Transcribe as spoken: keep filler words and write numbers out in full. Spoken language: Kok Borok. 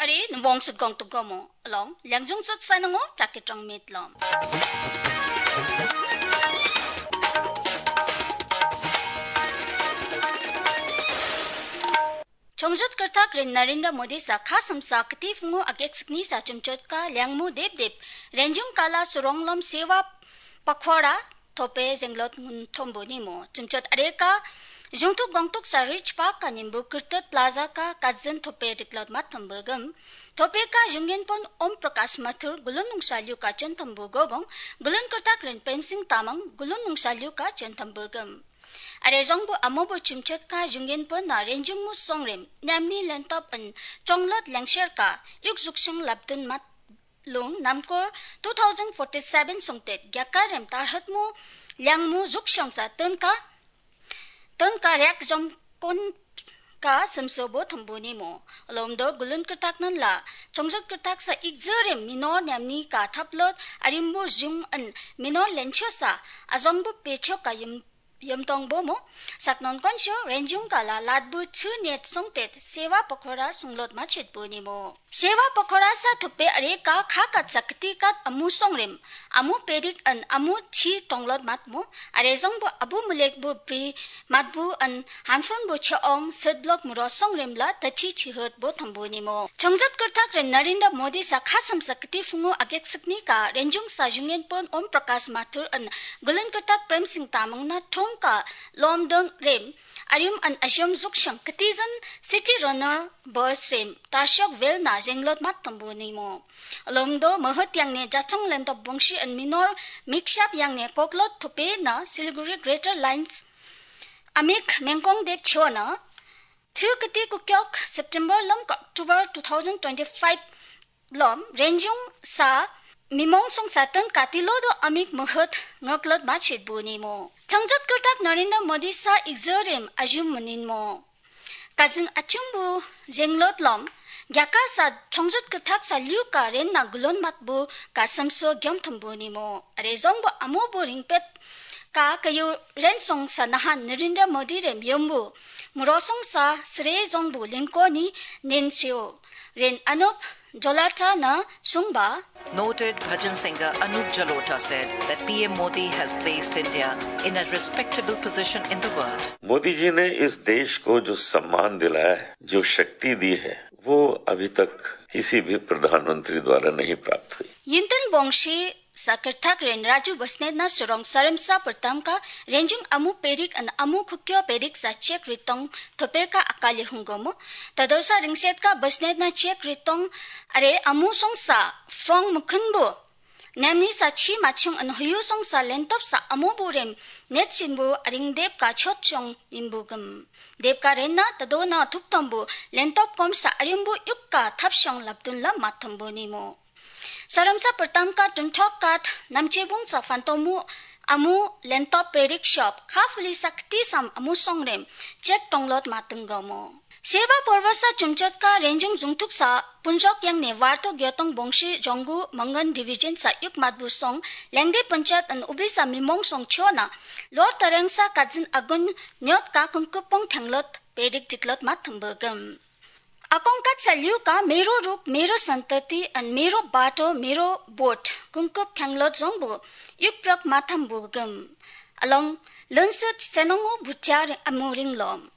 Ari nubong sut gong tuk gomo along, lengjung sut sanango, chakit rong mit lom. Chongjut kwrwthak rin Narendra Modi sa kha samsa kti phungo agek sikni sa chumchot ka lengmu dep dep renjung kala surong lom sewa pakhora thope jenglot ngun thombo nimo. Chumchot areka jungthuk gongtuk sa rich park ka nimbu kirtet plaza ka kajin thope diklot mat thombo gam. Thope ka jungin pon Om Prakash Mathur gulun nungsa liu ka chon thombo gogong, gulun kwrwthak rin Prem Singh Tamang gulun nungsa liu ka chon thombo gam. Are jongbo amobo chumchot ka jungin pon na renjung mu songrem nemni lentop an chonglot lengser ka yuk juksung labdun mat lung namkor two thousand forty-seven songtet gyakar rem tarhat mu liang mu juksong sa tun ka tun ka rek jom kon ka semso bo thombo nimo. Lom do gulun kwrwthak nan la chongjot kwrwthak sa ikjor rem minor nemni ka thaplot arimbo jung an minor lencho sa ajongbo pecho ka yum yom tong bo mo. Saknon konsho renjung kala latbu chu net songtet sewa pokhora sunglot ma chet bo nimo. Sewa pokhora sa thupe are ka kha kat sa kti kat amu songrem amu pedik an amu chi tonglot mat mo. Are jong bo abu mulek bo pri mat bu an hanfron bo che ong set blok muro songrem la ta chi chi hot bo thombo nimo. Chongjot kwrwthak ren Narendra Modi sa kha samsa kti phungo agek sikni ka renjung sa jungen pon Om Prakash Mathur an Gulun kwrwthak Prem Singh Tamang na thong ka lom dong rem arim an ajom juksang ktijan city runner bus rem tarshok vel na jenglot mat thombo nimo. Lom do mohot yang ne jachong lendo bongshi an minor mixup yang ne koklot thope na Siliguri Greater Lines amik mengkong dep chona. Chu kti kukyok September lom ka October two thousand twenty-five lom renjung sa mimong song satan katilo do amik mohot ngoklot ma chit bu nimo. Chongjot kwrwthak Narendra Modi sa igzorem ajum munin mo. Kajing achum bu jenglot lom gyakar sa chongjot kwrwthak sa liu ka ren na gulon mat bu ka samso gyom thum bu nimo. Are jong bu amo bu ringpet ka kayu ren song sa nahan Narendra Modi rem yom bu muro song sa sre jong bu lingko ni nen seo. Ren Anup Jalota na sungba. Noted bhajan singer Anup Jalota said that P M Modi has placed India in a respectable position in the world. Modi जी ने इस देश को जो सम्मान दिलाया है, जो शक्ति दी है, वो अभी तक किसी भी प्रधानमंत्री द्वारा नहीं प्राप्त हुई। Yinten bongshi sa kwrwthak ren Raju Bosnet na surong saremsa pertam ka renjung amu perik an amu khukyo perik sa chek ritong thope ka akali hungomo. Tadosa ringset ka Bosnet na chek ritong are amu song sa frong mukhen bo. Nemni sa chi machung an huyu song sa lentop sa amu burem net simbu aring dep ka chot chong nimbu gum. Dep ka ren na tado na thup tombu lentop kom sa arimbu yuk ka thap shong laptun la mat thombu nimo. Saramsa pertam ka tunthok kat namchebung sa fantomu amu lentop perik shop kha fuli sakti sam amu songrem chek tonglot matunggomo. Seva porvasa chumchot ka renjung jungtuk sa punjok yang ne warto gyotong bongshi jongu mangan division sa yuk matbu song lengdi panchayat an ubi sa mimong song chona lor tareng sa kajin agun nyot ka kungkupong thenglot perik diklot mat thumbagam. Akong kat sa liu ka mero ruk, mero santati, and mero bato, mero boat, kungkup thanglot zongbo, yuk prok matham bu gum. Along, lunsut senongo buchar amuring lom.